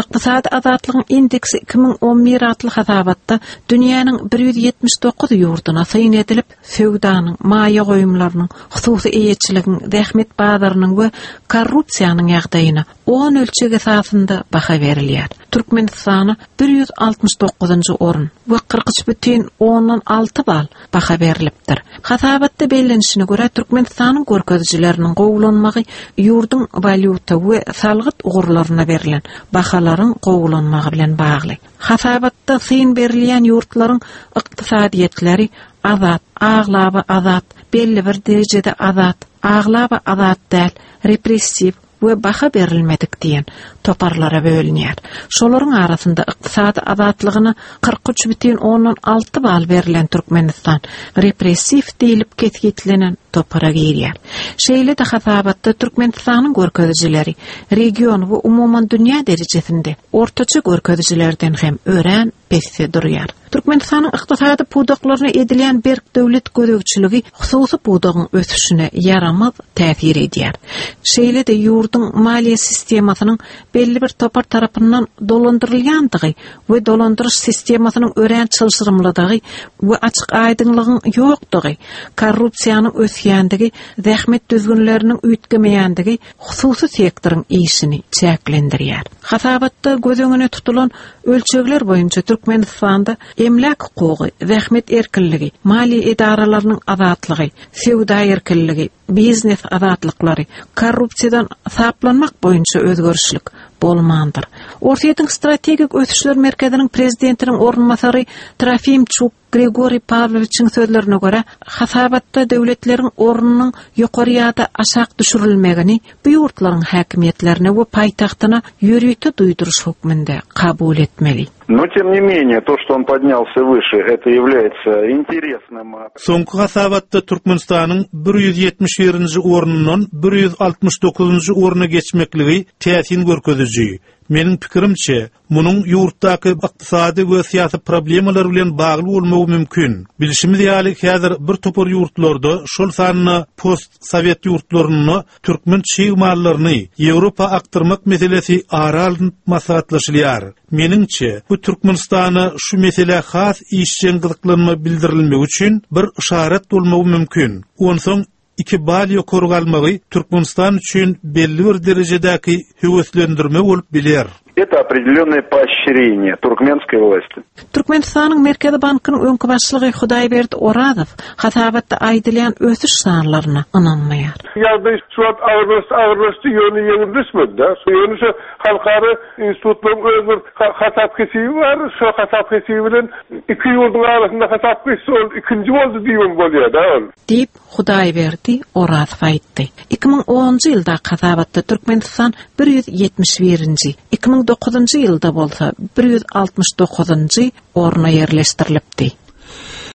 Ykdysady azatlygyň indeksi 2011 atly hasabatda dünýäniň 179 ýurduna syn edilip, söwdanyň, maýa goýumlarynyň, hususy eýeçiligiň, zähmet bazarynyň we korrupsiýanyň ýagdaýyna on ölçeg esasynda baha berilýär. Türkmenistana 169-njy orun we 43 bütin ondan alty bal baha berlipdir. Hasabatda bellenişine görä, Türkmenistanyň görkezijileriniň gowulanmagy ýurduň walýuta we salgyt ugurlaryna berlen bahalaryň gowulanmagy bilen bagly. Hasabatda syn berilýän ýurtlaryň ykdysadyýetleri azat, aglaba azat, belli bir derejede azat, aglaba azat däl, repressiw we baha berilmedik diýen toparlara bölünýär. Şolaryň arasynda ykdysady azatlygyna 43 bütin ondan alty bal berlen Türkmenistan repressiw diýlip kesgitlenen topara girýär. Şeýle-de hasabatda Türkmenistanyň görkezijileri region we umuman dünýä derejesinde ortaça görkezijilerden hem örän pesde durýar. Türkmenistanyň ykdysady pudaklaryna edilýän berk döwlet gözegçiligi hususy pudagyň ösüşine ýaramaz täsir edýär. Şeýle-de ýurduň maliýe sistemasynyň belli bir topar tarapyndan dolandyrylýandygy we dolandyryş sistemasynyň örän çylşyrymlydygy we açyk-aýdyňlygyň ýokdugy, korrupsiýanyň ösýändigi, zähmet düzgünleriniň üýtgemeýändigi hususy sektoryň işini çäklendirýär. Hasabatda göz öňüne tutulan ölçegler boýunça Türkmenistanda emläk hukugy, zähmet erkinligi, maliýe edaralarynyň azatlygy, söwda erkinligi, biznes azatlyklary, korrupsiýadan saplanmak boýunça özgerişlik bolmandyr. Orsýetiň Strategik ösüşler merkeziniň prezidentiniň orunbasary Trofimçuk Grigoriý Pawlowiçiň sözlerine görä, hasabatda döwletleriň ornunyň ýokary ýa-da aşak düşürilmegini bu ýurtlaryň häkimiýetlerine we paýtagtyna ýörite duýduryş hökmünde kabul etmeli. No tem ne menее, to, çto on podnýalsya wyşe, eto ýawlýaetsya interesnym. Soňky hasabatda Türkmenistanyň 171-nji ornundan 169-njy orna geçmekligi täsin görkeziji. Meniň pikirimçe, Munuň ýurtdaky ykdysady we syýasy problemalar bilen bagly bolmagy mümkin. Bilşimiz ýaly, häzir bir topar ýurtlarda, şol sanda post-sowet ýurtlarynda türkmen çig mallaryny Ýewropa akdyrmak meselesi ara alnyp maslahatlaşylýar. Meniňçe, bu Türkmenistana şu meselä has işjeň gyzyklanma bildirilmegi üçin bir yşarat bolmagy mümkin. Onsoň Iki bal ýokary galmagy Türkmenistan üçin belli bir derejedäki höweslendirme bolup biler. Это определенное поощрение туркменской власти. Türkmenistanyň Merkezi bankynyň öňki başlygy Hudaýberdi Orazow hasabatda aýdylýan ösüş sanlaryna ynanmaýar. Ýagdaý şu wagt agyrlaşdy, agyrlaşdy, ýöne ýeňilleşmedi-de. Ýöne şu halkara institutlaryň öz bir hasap-hesibi bar, şo hasap-hesibi bilen iki ýurduň arasynda hasap geçse, ol ikinji boldy diýibem bolýar-da ol. Diýip, Hudaýberdi Orazow aýtdy. 2010-njy ýyldaky hasabatda Türkmenistan